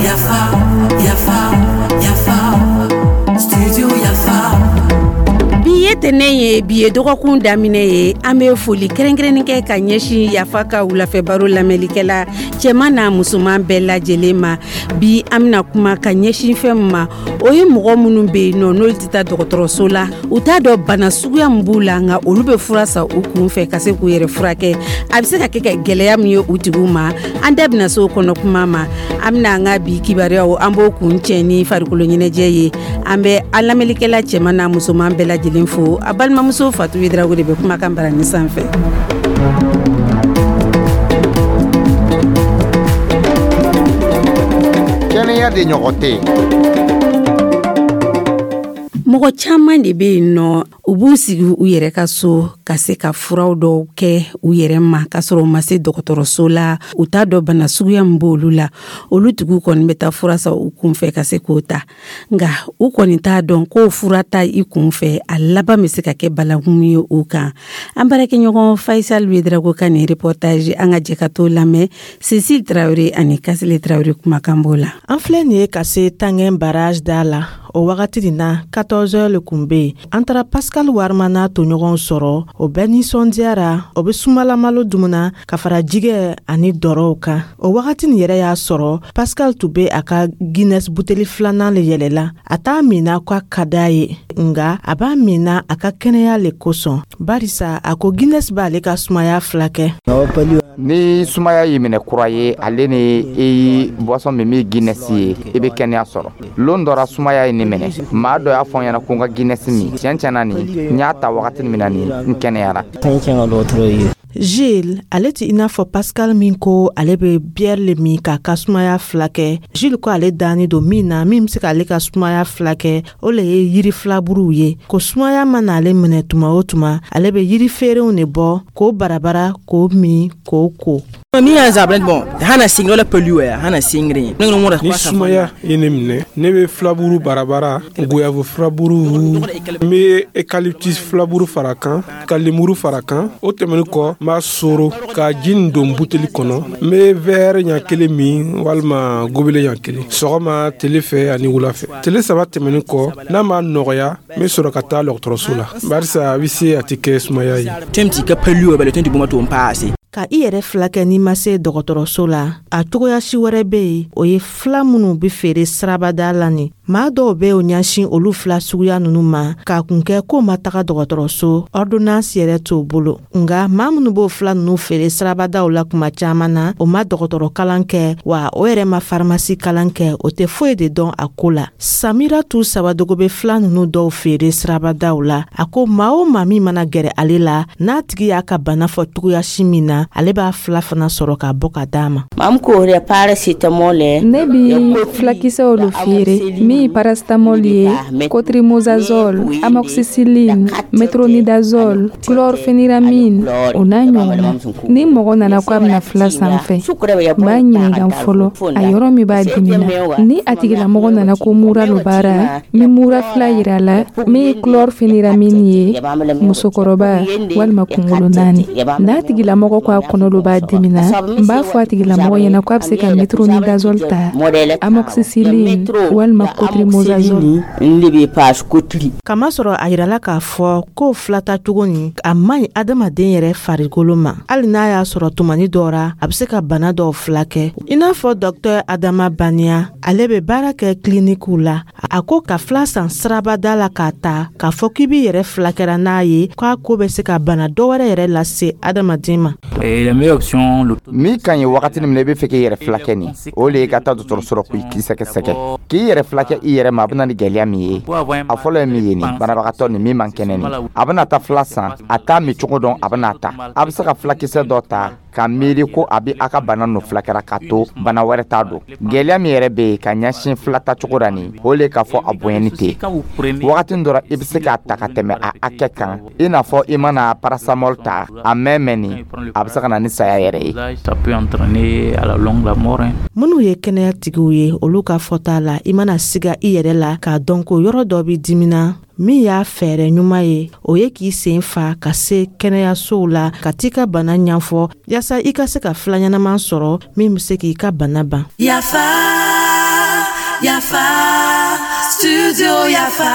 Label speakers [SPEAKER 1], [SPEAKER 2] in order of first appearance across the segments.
[SPEAKER 1] Yafa, yafa, yafa, studio Yafa.
[SPEAKER 2] Bi ye tɛnɛn ye, bi ye dɔgɔkun daminɛ ye. An bɛ foli kɛrɛnkɛrɛnnen kɛ ka ɲɛsin Yafa ka wulafɛ baro lamɛnlikɛla cɛman n'a musoman bɛɛ lajɛlen ma. Bi, an bɛna kuma ka ɲɛsin fɛn min ma, o ye mɔgɔ minnu bɛ yen nɔ, n'olu tɛ taa dɔgɔtɔrɔso la, u t'a dɔn bana suguya min b'u la, nka olu bɛ fura san u kun fɛ ka se k'u yɛrɛ furakɛ. A bɛ se ka kɛ ka gɛlɛya min ye u tigiw ma, an da bɛna se o kɔnɔ kuma ma. An bɛna an ka bi kibaruyaw, an b'o kun cɛ ni farikolo ɲɛnajɛ ye. An bɛ an lamɛnlikɛla cɛman n'a musoman bɛɛ lajɛlen fo. A balimamuso Fatu Ouédraogo de bɛ kumakan barani sanfɛ.
[SPEAKER 3] Kɛnɛya de ɲɔgɔn tɛ yen.
[SPEAKER 2] Mɔgɔ caman de bɛ yen nɔ, u b'u sigi u yɛrɛ ka so ka se ka furaw dɔw kɛ u yɛrɛ ma, k'a sɔrɔ u ma se dɔgɔtɔrɔso la. U t'a dɔn bana suguya min b'olu la. Olu tigiw kɔni bɛ taa fura san u kunfɛ ka se k'o ta, nka u kɔni t'a dɔn k'o fura ta i kunfɛ, a laban bɛ se ka kɛ balakun ye u kan. An baarakɛɲɔgɔn Faisal Ouédraogo ka nin reportage, an ka jɛ ka t'o lamɛn. Cécile Traoré ani Kasile Traoré kumakan b'o la.
[SPEAKER 4] An filɛ nin ye ka se Tangɛn barrage da la. O wagati nin na, 14 heures le kun be yen. An taara Pascal Warima n'a toɲɔgɔnw sɔrɔ. O bɛɛ nisɔndiyara, o be sumalamalo dumuna ka fara jigɛ ani dɔrɔw kan. O wagati nin yɛrɛ y'a sɔrɔ Pascal tun be a ka Guinness buteli filanan le yɛlɛla. A t'a minna k'a ka d'a ye, nga a b'a minna a ka kɛnɛya le kosɔn, barisa a ko Guinness b'ale ka sumaya filakɛ.
[SPEAKER 3] Ni sumaya y'i minɛ kura ye, ale ni i boisson min min Guinness ye, i bɛ kɛnɛya sɔrɔ. Lon dɔ ra, sumaya ye ne minɛ, maa dɔ y'a fɔ n ɲɛna ko n ka Guinness min. Tiɲɛ tiɲɛ na, nin n y'a ta wagati min na, nin n kɛnɛyara.
[SPEAKER 4] Gilles, ale tɛ i n'a fɔ Pascal min ko ale bɛ bière le min k'a ka sumaya filakɛ. Gilles ko ale danni don min na, min bɛ se k'ale ka sumaya filakɛ, o le ye yiri filaburuw ye. Ko sumaya mana ale minɛ tuma o tuma, ale bɛ yiri feerew de bɔ k'o barabara, k'o min, k'o ko.
[SPEAKER 5] Ni sumaya ye ne minɛ, ne bɛ filaburu barabara, goyave filaburu, n bɛ eucalyptus filaburu fara kan, ka lemuru fara kan. O tɛmɛnen kɔ, n b'a soro ka ji nin don buteli kɔnɔ. N bɛ verre ɲa kelen min walima gobelet ɲa kelen, sɔgɔma, tele fɛ ani wula fɛ. Tele 3 tɛmɛnen kɔ, n'a ma nɔgɔya, n bɛ sɔrɔ ka taa dɔgɔtɔrɔso la, barisa a bɛ se a tɛ kɛ sumaya ye.
[SPEAKER 4] Ka i yɛrɛ filakɛ n'i ma se dɔgɔtɔrɔso la, a cogoya si wɛrɛ bɛ yen, o ye fila minnu bɛ feere sirabada la. Nin maa dɔw bɛ o ɲɛsin olu fila suguya ninnu ma k'a kun kɛ k'o ma taga dɔgɔtɔrɔso, ordonnance yɛrɛ t'o bolo. Nga maa minnu b'o fila ninnu feere sirabadaw la, kuma caman na o ma dɔgɔtɔrɔ kalan kɛ, wa o yɛrɛ ma faramasi kalan kɛ, o tɛ foyi de dɔn a ko la. Samiratu Sabadogo bɛ fila ninnu dɔw feere sirabadaw la. A ko maa o maa min mana gɛrɛ ale la, n'a tigi y'a ka bana fɔ cogoya si min na, ale b'a fila fana sɔrɔ ka bɔ ka d'a ma.
[SPEAKER 6] Ne bi filakisɛw lo feere, min paracétamol ye, clotrimazole, amoxicilline, métronidazole, chlorpheniramine, o n'a ɲɔgɔnna. Ni mɔgɔ nana ko a bɛna fila san fɛ, n b'a ɲininka fɔlɔ a yɔrɔ min b'a dimina. Ni a tigilamɔgɔ nana ko mura lo b'a ra, n bɛ mura fila yira a la, min ye chlorpheniramine ye, musokɔrɔba walima kunkolo naani. N'a tigilamɔgɔ ko a kɔnɔ lo b'a dimina, n b'a fɔ a tigilamɔgɔ ɲɛna ko a bɛ se ka métronidazole ta, amoxicilline walima clotrimazole.
[SPEAKER 4] Kamasɔrɔ a yirala k'a fɔ k'o filata cogo nin, a man ɲi adamaden yɛrɛ farikolo ma, hali n'a y'a sɔrɔ tumani dɔ ra a bɛ se ka bana dɔw filakɛ. I n'a fɔ dɔktɛr Adama Baniya, ale bɛ baara kɛ kilinikiw la, a ko ka fila san sirabada la k'a ta k'a fɔ k'i b'i yɛrɛ filakɛra n'a ye, k'a ko bɛ se ka bana dɔ wɛrɛ yɛrɛ lase adamaden ma.
[SPEAKER 3] Min ka ɲi wagati min na i bɛ fɛ k'i yɛrɛ filakɛ nin, o le ye ka taa dɔgɔtɔrɔso la k'i sɛgɛsɛgɛ. K'i yɛrɛ filakɛ i yɛrɛ ma, a bɛ na ni gɛlɛya min ye, a fɔlɔ ye min ye nin, banabagatɔ nin min man kɛnɛ nin, a bɛna taa fila san, a t'a min cogo dɔn, a bɛna ta. A bɛ se ka filakisɛ dɔ ta ka miiri ko a bɛ a ka bana nɔ filakɛra, k'a to bana wɛrɛ t'a don. Gɛlɛya min yɛrɛ bɛ yen ka ɲɛsin fila ta cogo la nin, o le k'a fɔ a bonyani tɛ wagati dɔ la, i bɛ se k'a ta ka tɛmɛ a hakɛ kan, i n'a fɔ i mana paracétamol ta a mɛn mɛn nin, a bɛ se ka na ni saya yɛrɛ ye.
[SPEAKER 4] Minnu ye kɛnɛya tigiw ye, olu ka fɔta la, i mana siga i yɛrɛ la k'a dɔn ko yɔrɔ dɔ bɛ dimina. Min y'a fɛɛrɛ ɲuman ye, o ye k'i sen fa ka se kɛnɛyasow la ka t'i ka bana ɲɛfɔ, yaasa i ka se ka fila ɲɛnaman sɔrɔ min bɛ se k'i ka bana ban.
[SPEAKER 1] Yafa, Yafa, Studio Yafa.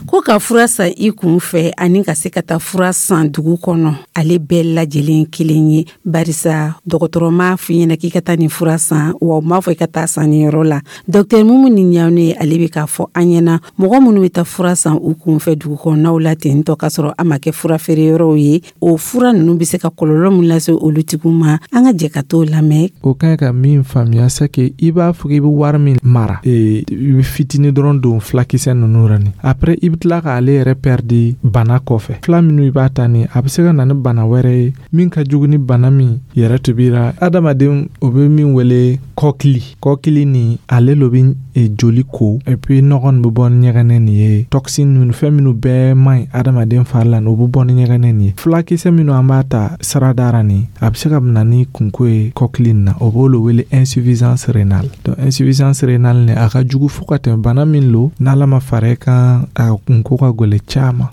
[SPEAKER 2] Ko ka fura san i kun fɛ ani ka se ka taa fura san dugu kɔnɔ, ale bɛɛ lajɛlen kelen ye, barisa dɔgɔtɔrɔ m'a f'i ɲɛna k'i ka taa nin fura san, wa u m'a fɔ i ka taa san nin yɔrɔ la. Dɔktɛr Mumuni Ɲawune, ale bɛ k'a fɔ an ɲɛna, mɔgɔ minnu bɛ taa fura san u kun fɛ dugu kɔnɔnaw la ten tɔ, k'a sɔrɔ a ma kɛ fura feere yɔrɔw ye, o fura ninnu bɛ se ka kɔlɔlɔ min lase olu tigiw ma, an ka jɛ ka t'o lamɛn.
[SPEAKER 7] O ka ɲi ka min faamuya, c'est que i b'a fɔ k'i bɛ wari min mara, i bɛ fitinin dɔrɔn don fulakisɛ ninnu ra ni après i bɛ tila k'ale yɛrɛ perdre bana kɔfɛ. Fila minnu i b'a ta ni, a bɛ se ka na ni bana wɛrɛ ye min ka jugu ni bana min yɛrɛ tun la. Adamaden, o bɛ min wele kɔkili, kɔkili ni ale lo bɛ joli ko, et puis nɔgɔ nin bɛ bɔ ni ɲɛgɛnɛ nin ye, toxine ninnu, fɛn minnu bɛɛ man ɲi adamaden fari la, o bɛ bɔ ni ɲɛgɛnɛ nin ye. Fulakisɛ minnu an b'a ta sirada ra nin, a bɛ se ka na ni kunko ye kɔkili nin na, o b'o le wele insuffisance rénale. Donc insuffisance rénale nin, a ka jugu fo ka tɛmɛ. Bana min lo, n'Ala ma fara kan, a kunko ka gwɛlɛ caman.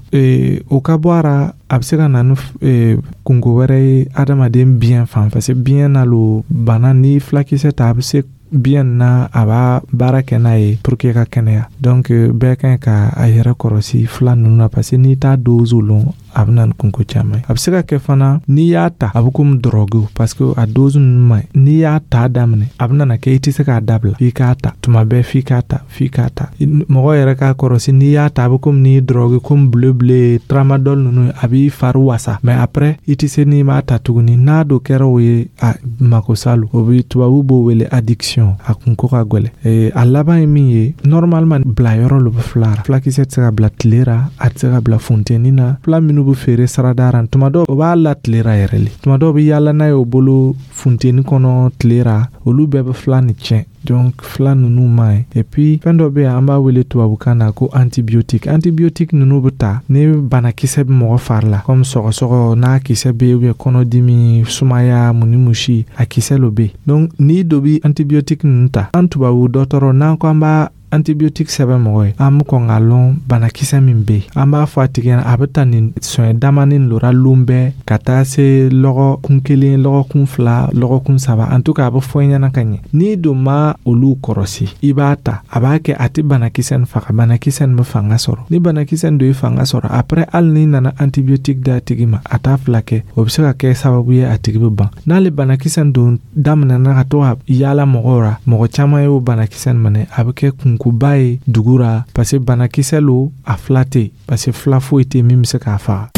[SPEAKER 7] O ka bɔ a ra, a bɛ se ka na ni kunko wɛrɛ ye adamaden biyɛn fan, parce que biyɛn na lo bana ni fulakisɛ ta, a bɛ se biyɛn na, a b'a baara kɛ n'a ye pour que ka kɛnɛya. Donc bɛɛ ka ɲi ka a yɛrɛ kɔrɔsi fila ninnu na, parce que n'i t'a dose lɔn, a bɛ na ni kunko caman ye. A bɛ se ka kɛ fana, n'i y'a ta, a bɛ komi drogue, parce que a dose ninnu man ɲi. N'i y'a ta daminɛ, a bɛ nana kɛ i tɛ se k'a dabila, f'i k'a ta tuma bɛɛ, f'i k'a ta, f'i k'a ta. Mɔgɔ yɛrɛ k'a kɔrɔsi, n'i y'a ta, a bɛ komi n'i ye drogue, komi bleu bleu, tramadol ninnu, a b'i fari wasa, mais après i tɛ se n'i m'a ta tuguni. N'a do kɛra o ye, a mako sa lo, o bɛ tubabu b'o wele addiction, a kunko ka gwɛlɛ. A laban ye min ye, normalement bila yɔrɔ lo bɛ fila ra. Fulakisɛ tɛ se ka bila tile ra, a tɛ se ka bila funteni na. Fila minnu bɛ feere sirada ra, tuma dɔw o b'a la tile ra yɛrɛ le, tuma dɔw bɛ yaala n'a ye o bolo funteni kɔnɔ tile ra, olu bɛɛ bɛ fila ni tiɲɛ. Donc fila ninnu man ɲi. Et puis fɛn dɔ bɛ yen, an b'a wele tubabukan na ko antibiotique. Antibiotique ninnu bɛ ta ni banakisɛ bɛ mɔgɔ fari la, comme sɔgɔsɔgɔ n'a kisɛ bɛ yen, ou bien kɔnɔdimi, sumaya, mun ni musi, a kisɛ lo bɛ yen. Donc n'i dɔ bɛ antibiotique ninnu ta, an tubabu dɔgɔtɔrɔ, n'an ko an b'a antibiotique sɛbɛn mɔgɔ ye, an bɛ kɔn k'a lɔn banakisɛ min bɛ yen. An b'a fɔ a tigi ɲɛna, a bɛ ta nin sɔnyɛ damani lora lon bɛɛ ka taa se lɔgɔkun 1, lɔgɔkun 2, lɔgɔkun 3, en tout cas a bɛ fɔ i ɲɛna ka ɲɛ. N'i don ma olu kɔrɔsi, i b'a ta, a b'a kɛ a tɛ banakisɛ nin faga, banakisɛ nin bɛ fanga sɔrɔ. Ni banakisɛ nin don ye fanga sɔrɔ, après hali n'i nana antibiotique d'a tigi ma, a t'a fila kɛ, o bɛ se ka kɛ sababu ye a tigi bɛ ban. N'ale banakisɛ nin don daminɛna ka to ka yaala mɔgɔw ra, mɔgɔ caman y'o banakisɛ nin minɛ, a bɛ kɛ kunkoba ye dugu ra, parce que banakisɛ lo, a fila tɛ yen, parce que fila foyi tɛ yen min bɛ se k'a faga.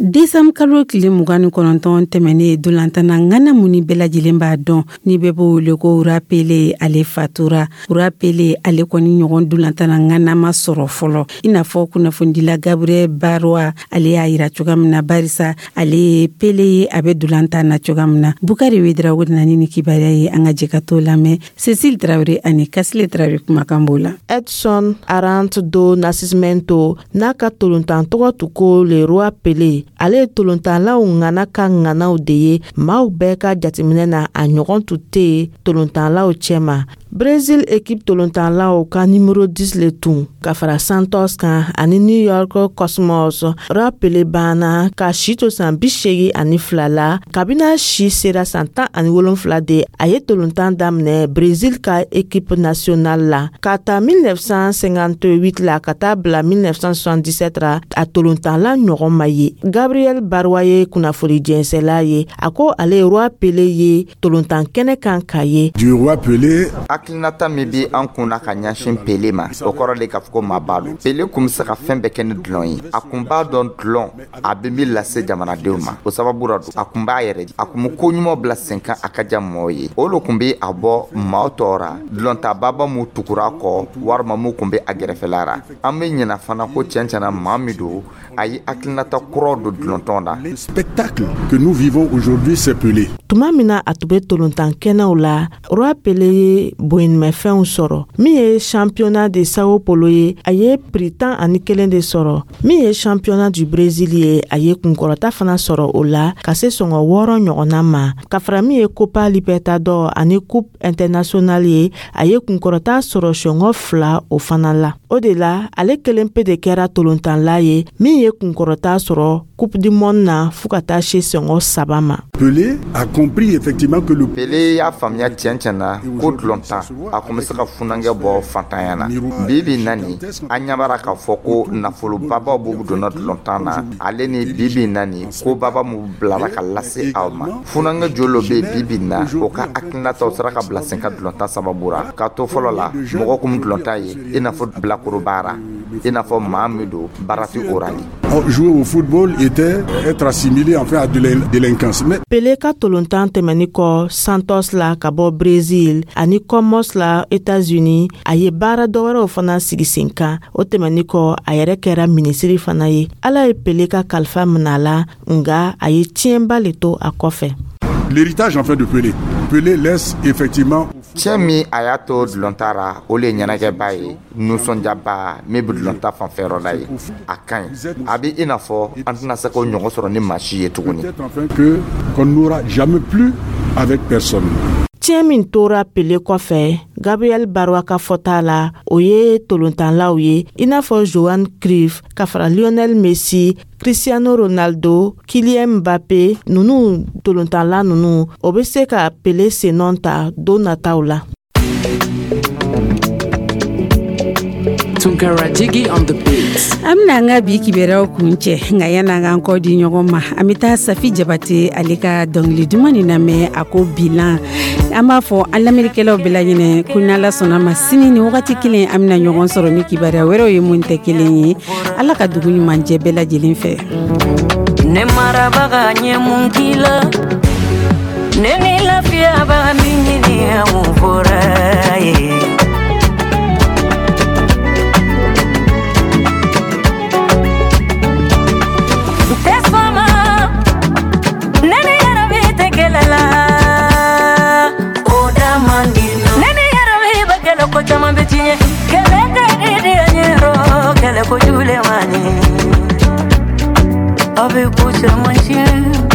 [SPEAKER 2] Desanburu kalo tile 29 tɛmɛnen, dolantana ŋana mun ni bɛɛ lajɛlen b'a dɔn, ni bɛɛ b'o wele ko Roi Pele, ale fatura. Roi Pele, ale kɔni ɲɔgɔn dolantana ŋana ma sɔrɔ fɔlɔ, i n'a fɔ kunnafonidila Gabriel Baroa, ale y'a yira cogoya min na, barisa ale ye Pele ye, a bɛ dolantan na cogoya min na. Bukari Wedrago nana ni kibaruya ye, an ka jɛ ka t'o lamɛn. Cecile Tarawele ani Kasile Tarawele kumakan b'o la.
[SPEAKER 4] Edson Arantes do Nascimento, n'a ka tolontan tɔgɔ tun ko le Roi Pele, ale ye tolontanlaw ŋana ka ŋanaw de ye. Maaw bɛɛ ka jateminɛ na, a ɲɔgɔn tun tɛ yen tolontanlaw cɛma. Brésil équipe tolontanlaw ka numéro 10 le tun ka fara Santos kan ani New York Cosmos. Roi Pele banna ka si to san 82 la. Kabini a si sera san 17 de, a ye tolontan daminɛ Brésil ka équipe nationale la. Ka ta 1958 la ka taa bila 1977 ra, a tolontanla ɲɔgɔn ma ye. Gabriel Barwa ye kunnafoni jɛnsɛla ye, a ko ale ye Roi Pele ye tolontan kɛnɛ kan ka ye.
[SPEAKER 8] Du Roi Pelé.
[SPEAKER 3] Hakilinata min bi an kun na ka ɲɛsin Pele ma, o kɔrɔ de k'a fɔ ko maaba don. Pele kun bɛ se ka fɛn bɛɛ kɛ ni dulon ye. A kun b'a dɔn dulon a bɛ min lase jamanadenw ma, o sababu ra don a kun b'a yɛrɛ, a kun bɛ ko ɲuman bila sen kan, a ka diya mɔgɔw ye. O le kun bɛ a bɔ maaw tɔw ra, dulontababa mun tugura kɔ, walima mun kun bɛ a gɛrɛfɛla ra. An bɛ ɲina fana ko tiɲɛ tiɲɛna, maa min don, a ye hakilinata kuraw don dulontɔn na.
[SPEAKER 8] Le spectacle que nous vivons aujourd'hui, c'est Pelé.
[SPEAKER 4] Tuma min na a tun bɛ tolontan kɛnɛw la, Roi Pele ye boɲinimɛfɛnw sɔrɔ. Min ye championnat de Sao Paulo ye, a ye prix 11 de sɔrɔ. Min ye championnat du Brésil ye, a ye kunkɔrɔta fana sɔrɔ o la ka se sɔngɔ 6 ɲɔgɔnna ma. Ka fara min ye Copa Libertador ani Coupe internationale ye, a ye kunkɔrɔta sɔrɔ sɔngɔ 2 o fana la. O de la, ale kelen pe de kɛra tolontanla ye min ye kunkɔrɔta sɔrɔ Coupe du Monde na fo ka taa se sɔngɔ 3 ma.
[SPEAKER 8] Pelé a compris effectivement que le
[SPEAKER 3] Pelé y'a faamuya tiɲɛ na ko dulɔntan a kun bɛ se ka funankɛ bɔ fantanya na. Bi bi na nin, an ɲɛ b'a la k'a fɔ ko nafolobabaw b'u donna dulɔntan na. Ale ni bi bi na nin, ko baba mun bilara ka lase aw ma. Funankɛ joli bɛ yen bi bi na, o ka hakilinataw sera ka bila sen kan dulɔntan sababu ra. K'a to fɔlɔ la, mɔgɔ kun dulɔntan ye i n'a fɔ bilakoro baara, i n'a fɔ maa min don baara ti o ra.
[SPEAKER 8] Jouer au football était être assimilé enfin à de la délinquance. Mais
[SPEAKER 4] Pelé ka tolontan tɛmɛni kɔ Santos la ka bɔ Brésil ani Comos la États-Unis, a ye baara dɔwɛrɛw fana sigi sen kan. O tɛmɛni kɔ, a yɛrɛ kɛra minisiri fana ye. Ala ye Pelé ka kalifa minɛ a la, nga a ye tiɲɛba le to a kɔfɛ.
[SPEAKER 8] L'héritage enfin de Pelé. Pelé laisse effectivement
[SPEAKER 3] Tiɲɛ min a y'a to dulɔnta ra, o le ye ɲɛnajɛba ye, nisɔndiyaba min bɛ dulɔnta fanfɛyɔrɔ la ye. A ka ɲi, a bɛ i n'a fɔ an tɛna se k'o ɲɔgɔn sɔrɔ ni maa si ye tuguni.
[SPEAKER 8] Peut-être enfin que qu'on n'aura jamais plus avec personne.
[SPEAKER 4] Tiɲɛ min tora Pele kɔfɛ, Gabriel Barwa ka fɔta la, o ye tolontanlaw ye i n'a fɔ Johan Cruyff ka fara Lionel Messi, Cristiano Ronaldo, Kylian Mbappé nunu. Tolontanla nunu, o be se ka Pele sennɔ ta don nataw la.
[SPEAKER 1] Tunkara Jiggy on the beats.
[SPEAKER 2] An bɛna an ka bi kibaruyaw kun cɛ, nka yan'an k'an kɔ di ɲɔgɔn ma, an bɛ taa Safi Jabate, ale ka dɔnkili duman nin lamɛn, a ko bilan. An b'a fɔ an lamɛnnikɛlaw bɛɛ lajɛlen ko n'Ala sɔnna ma, sini ni wagati kelen, an bɛna ɲɔgɔn sɔrɔ ni kibaruya wɛrɛw ye mun tɛ kelen ye. Ala ka dugu ɲuman jɛ bɛɛ lajɛlen fɛ.
[SPEAKER 9] Ne marabaga ɲɛ mun k'i la, ne ni lafiyabaga min ɲini, a mun fɔra ye? Tɛ sɔn ne ni yɛrɛ tɛ kɛlɛ la, o da man di. Ne ni yɛrɛ bɛ kɛlɛ, ko caman bɛ tiɲɛ. Kɛlɛ ka di di ɲɛ, kɛlɛ ko jugu le man ɲi, a bɛ ko caman tiɲɛ.